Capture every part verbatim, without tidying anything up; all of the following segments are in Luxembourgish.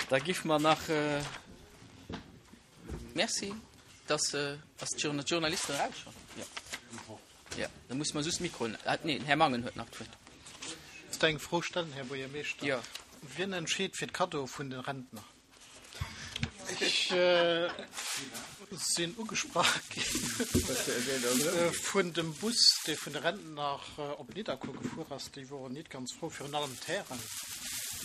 Da giff mer nach. Merci. Dass ass d'Journalisten eraus schonn? Jo. Jo, da musse mer just d'Mikroen. Nee, den Här Mangen huet nach d'Wuert. Dierft eng Fro stellen, Här Buergermeeschter? Jo. Wien entscheet fir d'Kaddoe vun de Rentner? Ech sinn ugesprach gi vun dem Bus, dee vun de Rentner op Nidderkuer gefuer ass. Déi woren nit ganz frou, virun allem d'Hären.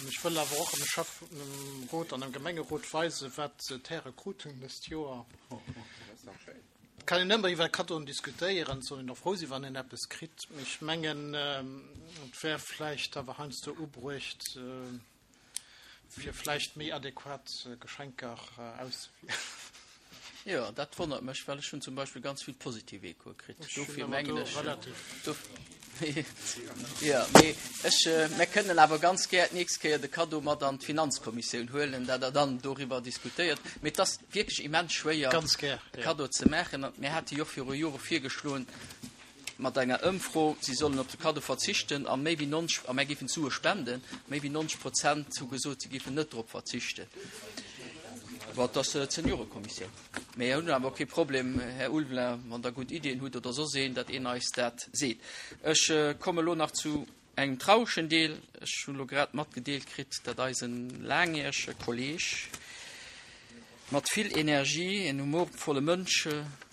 An ech wëll awer och dem Schäfferot an dem Gemengerot weisen, wat d'Häre krut hunn dëst Joer. Et kann een ëmmer iwwer Kaddoen diskutéieren, et soll een och frou sinn, wann een eppes kritt. Mee ech mengen, et wär vläicht awer heiansdo ubruecht, fir vläicht méi adequat Geschenker auszewielen. Jo, dat wonnert mech, well ech hunn zum Beispill ganz vill positiv Echoe kritt. Ech hunn Dofir awer mengen do ech, relativ. Jo, mee ech, mär kënnen awer ganz gär d'nächst Kéier de Kaddo mat an d'Finanzkommissioun huelen, dat Der dann doriwwer diskutéiert. Mee et ass wierklech immens schwéier, Ganz gär, e jo. Kaddo ze maachen. An mir hate jo och viru Jore virgeschloen, mat enger Ëmfro, si sollen op de Kaddo verzichten a méi wéi nonzeg, a mär géifen d'Sue spenden, méi wéi nonzeg Prozent hu gesot, si géifen net drop verzichten. Bon, et ass d'Seniorekommissioun. Mir hunn awer och kee Problem, Här Ulveling, wann Der gutt Iddien hutt oder soss een, datt een eis dat seet. Ech komme elo nach zu engem trauregen Deel. Ech hunn elo grad matgedeelt kritt, datt eisen laangjärege Kolleeg mat vill Energie, en humorvolle Mënsch,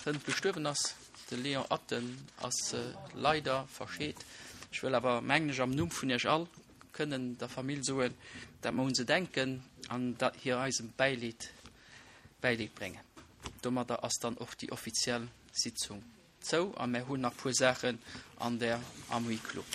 hënt gestuerwen ass. De Léon Atten ass leider verscheet. Ech wëll awer, mengen ech, am Numm vun Iech all kënnen der Famill soen, dat mer un se denken an dat hir eisem Bäileed Bäileed bréngen. Domadder ass dann och déi offiziell Sitzung zou a mer hunn nach puer Saachen an der am Huis clos.